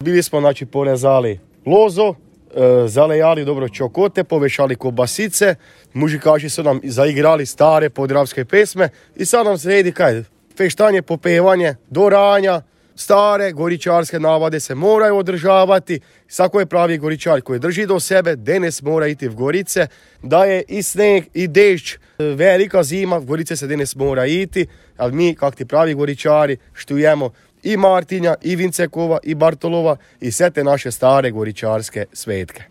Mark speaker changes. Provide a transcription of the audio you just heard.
Speaker 1: Bili smo porezali lozo, zalejali dobro čokote, povešali kobasice, mužikaši su nam zaigrali stare podravske pesme i sad nam sredi feštanje, popevanje, do ranja. Stare goričarske navade se moraju održavati. Svako je pravi goričar koji drži do sebe, danes mora iti v Gorice. Da je i sneg i dešć, velika zima, v Gorice se danes mora iti, ali mi, kak ti pravi goričari, štujemo i Martinja, i Vincekova, i Bartolova i sve te naše stare goričarske svetke.